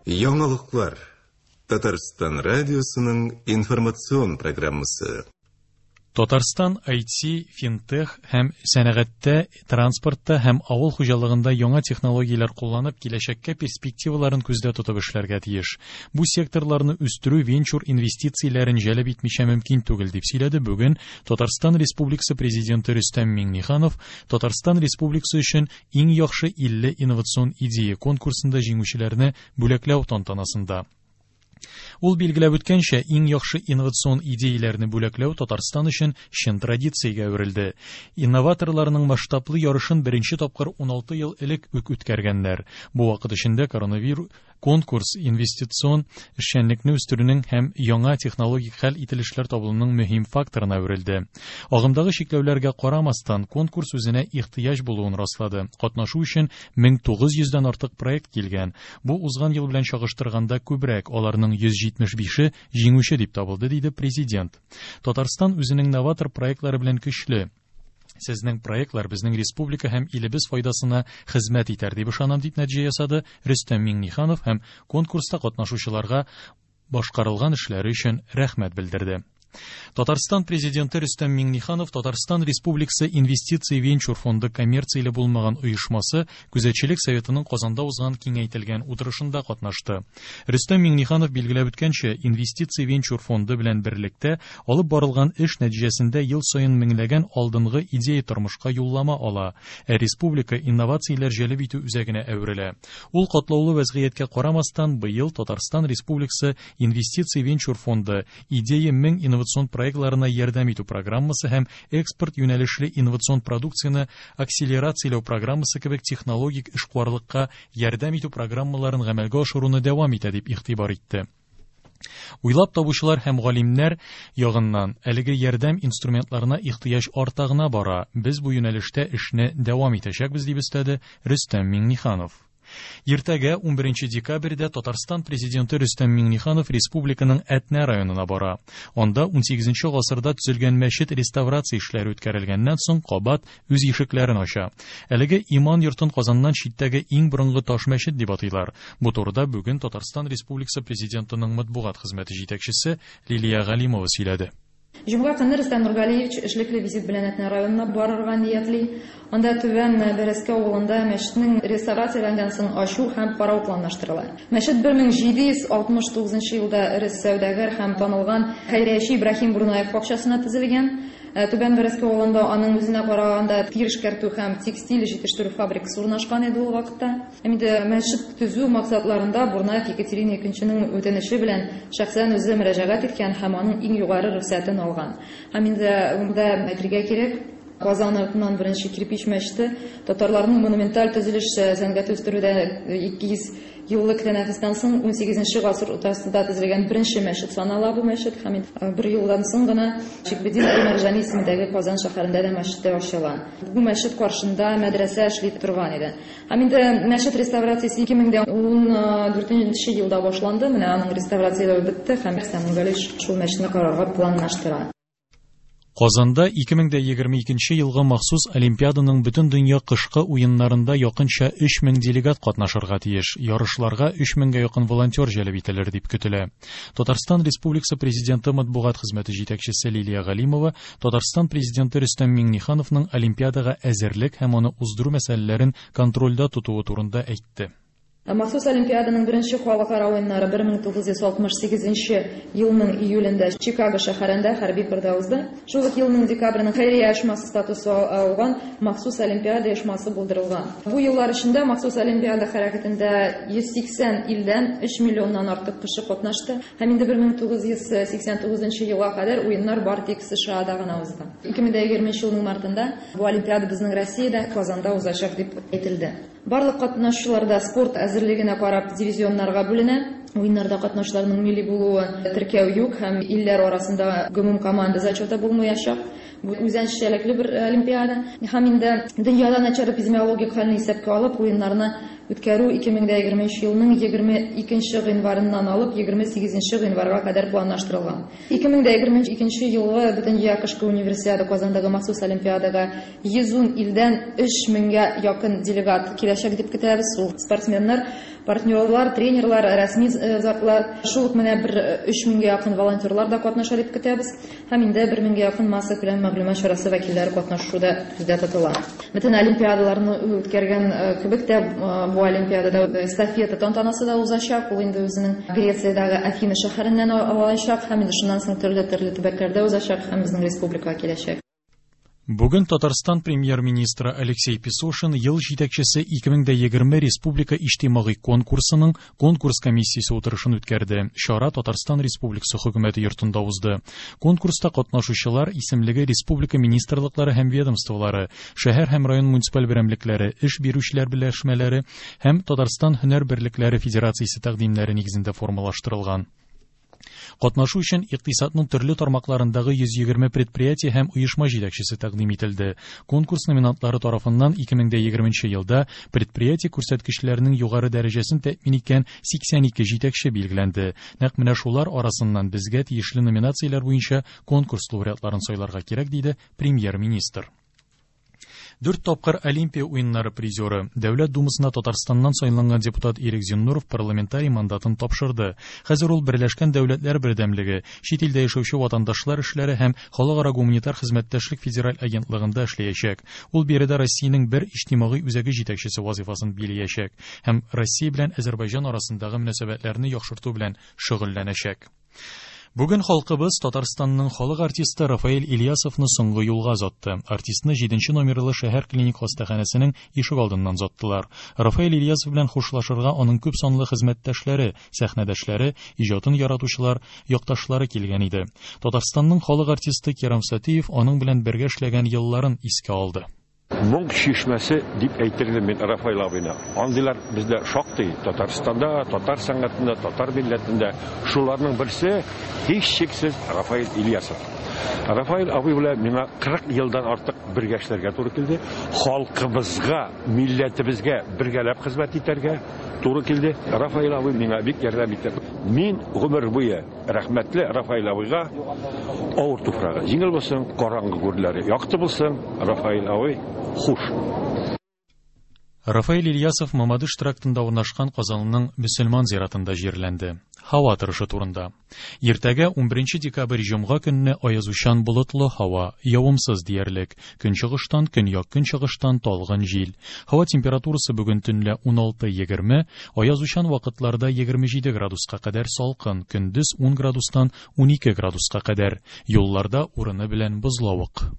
Яңалыклар. Татарстан радиосының информацион программасы. Татарстан IT, финтех һәм сәнәгатьтә, транспортта һәм авыл хуҗалыгында яңа технологияләр кулланып, киләчәккә перспективаларын күздә тотып эшләргә тиеш. Бу секторларны үстерү венчур инвестицияләрен җәлеп итмичә мөмкин түгел, дип сөйләде бүген Татарстан Республикасы Президенты Рөстәм Миңнеханов Татарстан Республикасы өчен иң яхшы 50 инновацион идея конкурсында җиңүчеләрне бүләкләү тантанасында. Ул билгеләп үткәнчә, иң яхшы инновацион идеяләрне бүләкләү Татарстан өчен чын традициягә әверелде. Инноваторларның масштаблы ярышын беренче тапкыр 16 ел элек үк үткәргәннәр. Бу вакыт эчендә коронавирус конкурс инвестицион эшчәнлекне үстерүнең һәм яңа технологик хәл ителешләр табылуның мөһим факторына әверелде. Агымдагы чикләүләргә карамастан, конкурс үзенә ихтыяҗ булуын раслады. Катнашу өчен 1900 дән артык проект килгән. Бу узган ел белән чагыштырганда күбрәк, аларның 175-е җиңүче дип табылды, диде президент. Татарстан үзенең новатор проектлары белән көчле. Сезнең проектлар безнең республика һәм илебез файдасына хезмәт итәр дип ышанам, дип нәтиҗә ясады Рөстәм Миңнеханов һәм конкурста катнашучыларга башкарылган эшләре өчен рәхмәт белдерде. Татарстан президенты Рөстәм Миңнеханов Татарстан Республикасы Инвестиция венчур фонды коммерцияле булмаган оешмасы Күзәтчелек советының Казанда узган киңәйтелгән утырышында катнашты. Рөстәм Миңнеханов билгеләп үткәнчә, Инвестиция венчур фонды белән берлектә алып барылган эш нәтиҗәсендә ел саен меңләгән алдынгы идея тормышка юллама ала, ә республика инновацияләр җәлеп итү үзәгенә әверелә. Ул катлаулы вәзгыятькә карамастан, быел Татарстан Республикасы Инвестиция венчур фонды Идея 1000 инновацион проектларына ярдәм итү программасы һәм экспорт юнәлешле инновацион продукцияне акселерацияләү программасы кебек технологик эшкуарлыкка ярдәм итү программаларын гамәлгә ашыруны дәвам итә, дип игътибар итте. Уйлап табучылар һәм галимнәр ягыннан әлеге ярдәм инструментларына ихтыяҗ арта гына бара, без бу юнәлештә эшне дәвам итәчәкбез, дип өстәде Рөстәм Миңнеханов. Иртәгә, 11 декабрьдә, Татарстан Президенты Рөстәм Миңнеханов республиканың Әтнә районына бара. Анда 18 гасырда төзелгән мәчет реставрация эшләре үткәрелгәннән соң кабат үз ишекләрен ача. Әлеге иман йортын Казаннан читтәге иң борынгы таш мәчет дип атыйлар. Бу турыда бүген Татарстан Республикасы Президентының матбугат хезмәте җитәкчесе Лилия Галимова сөйләде. Җомга көнне Рөстәм Нургалиевич эшлекле визит белән Әтнә районына барырга ниятли. Анда Түбән Бәрәскә авылында мәчетнең реставрацияләнгән соң ачу һәм карау планлаштырыла. Мәчет 1769 елда эре сәүдәгәр һәм танылган хәйрияче Ибраһим Бурнаев акчасына төзелгән. Түбән Бәрәскә авылында аның үзенә караганда тир эшкәртү һәм текстиль җитештерү фабрикасы урнашкан иде ул вакытта. Һәм инде мәчет төзү максатларында Бурнаев Екатерина Икенченең үтенече белән шәхсән үзе мөрәҗәгать иткән һәм аның иң югары рөхсәтен алган. Һәм инде монда әйтергә кирәк, Казан артыннан беренче кирпич мәчете татарларның монументаль төзелеш сәнгате үстерүдә 200 еллык тәнәфестән соң 18 гасыр уртасында төзелгән беренче мәчет санала бу мәчет. Һәм бер елдан соң гына Шиһабетдин әл-Мәрҗани исемендәге Казан шәһәрендә дә мәчет ачыла. Бу мәчет каршында мәдрәсә эшли торган иде. Һәм инде мәчет реставрациясе 2014 елда башланды. Менә аның реставрацияләве бетте һәм Рөстәм Нургалиевич шул мәчетне карарга планлаштыра. Казанда 2022 елгы махсус Олимпиаданың бөтендөнья кышкы уеннарында якынча 3000 делегат катнашырга тиеш. Ярышларга 3000гә якын волонтер җәлеп ителер дип көтелә. Татарстан Республикасы Президенты матбугат хезмәте җитәкчесе Лилия Галимова Татарстан Президенты Рөстәм Миңнехановның Олимпиадага әзерлек һәм аны уздыру мәсьәләләрен контрольдә тотуы турында әйтте. Махсус Олимпиаданың беренче халыкара уеннары 1968 елның июлендә Чикаго шәһәрендә хәрби кырда узды. Шул ук елның декабренең хәйрия оешмасы статусы алган Махсус Олимпиада оешмасы булдырылган. Бу еллар эчендә Махсус Олимпиада хәрәкәтендә 180 илдән 3 миллионнан артык кеше катнашты. Һәм инде 1989 елга кадәр уеннар бары тик США-да гына узды. 2020 елның мартында бу Олимпиада безнең Россиядә, Казанда узачак дип әйтелде. Барлык катнашучылар да спорт әзерлегенә карап дивизионнарга бүленә. Уеннарда катнашучыларның милли булуы теркәү юк һәм илләр арасында гомум команда зачеты булмаячак. Бу үзенчәлекле бер олимпиада. Һәм инде дөньяда начар эпидемиологик хәлне исәпкә алып, уеннарны үткәрү 2020 елның 22 гыйнварыннан алып 28 гыйнварга кадәр планлаштырылган. 2022 елгы Бөтендөнья кышкы универсиада Казандагы махсус олимпиадага 110 илдән 3000гә якын делегат киләчәк дип көтәбез. Ул спортсменнар, партнерлар, тренерлар, рәсми затлар, шул ук менә бер 3000гә якын волонтерлар да катнаша дип көтәбез. Һәм инде 1000гә якын массакүләм мәгълүмат чарасы вәкилләре катнашу да күздә тотыла. Бөтен олимпиадаларны үткәргән кебек тә бу олимпиадада эстафета тантанасы да узачак. Ул инде үзенең Грециядәге Афина шәһәреннән алачак һәм инде шуннан соң төрле-төрле төбәкләрдә узачак һәм безнең республикага киләчәк. Бүген Татарстан премьер-министры Алексей Песошин ел җитәкчесе 2020 республика иҗтимагый конкурсының конкурс комиссиясе утырышын үткәрде. Чара Татарстан Республикасы хөкүмәте йортында узды. Конкурста катнашучылар исемлеге республика министрлыклары һәм ведомстволары, шәһәр һәм район муниципаль берәмлекләре, эш бирүчеләр берләшмәләре һәм Татарстан һөнәр берлекләре федерациясе тәкъдимнәре нигезендә формалаштырылган. Катнашу өчен икътисадның төрле тармакларындагы 120 предприятие һәм оешма җитәкчесе тәкъдим ителде. Конкурс номинантлары тарафыннан 2020 елда предприятие күрсәткечләренең югары дәрәҗәсен тәэмин иткән 82 җитәкче билгеләнде. Нәкъ менә шулар арасыннан безгә тиешле номинацияләр буенча конкурс лауреатларын сайларга кирәк, диде премьер-министр. 4 тапкыр Олимпия уеннары призеры, Дәүләт Думасына Татарстаннан сайланган депутат Ирек Зиннуров парламентарий мандатын тапшырды. Хәзер ул Берләшкән Дәүләтләр Бердәмлеге, чит илдә яшәүче ватандашлар эшләре һәм халыкара гуманитар хезмәттәшлек федераль агентлыгында эшләячәк. Ул биредә Россиянең бер иҗтимагый үзәге җитәкчесе вазифасын биләячәк һәм Россия белән Азәрбайҗан арасындагы мөнәсәбәтләрне яхшырту белән шөгыльләнәчәк. Бүген халкыбыз Татарстанның халык артисты Рафаэль Ильясовны соңгы юлга озатты. Артистны 7 номерлы шәһәр клиник хастаханәсенең ишек алдыннан озаттылар. Рафаэль Ильясов белән хушлашырга аның күп санлы хезмәттәшләре, сәхнәдәшләре, иҗатын яратучылар, якташлары килгән иде. Татарстанның халык артисты Кирам Сатиев аның белән бергә эшләгән елларын искә алды. Моң чишмәсе дип әйтер идем мин Рафаэль абыйны. Андыйлар бездә шактый Татарстанда, татар сәнгатендә, татар милләтендә. Шуларның берсе һичшиксез Рафаэль Ильясов. Рафаэль абый белән миңа 40 елдан артык бергә эшләргә туры килде. Халкыбызга, милләтебезгә бергәләп хезмәт итәргә туры килде. Рафаэль абый миңа бик ярдәм итте. Мин гомер буе рәхмәтле Рафаэль абыйга. Авыр туфрагы җиңел булсын, караңгы күрләре якты булсын, Рафаэль абый, хуш. Рафаэль Ильясов Мамадыш трактында урнашкан Казанның мөселман зиратында җирләнде. Һава торышы турында. Иртәгә 11 декабрь җомга көнне аязучан болытлы һава, явымсыз диярлек. Көнчыгыштан, көньяк-көнчыгыштан талгын җил. Һава температурасы бүген төнлә 16-20, аязучан вакытларда 27 градуска кадәр салкын, көндез 10 градустан 12 градуска кадәр. Юлларда урыны белән бозлавык.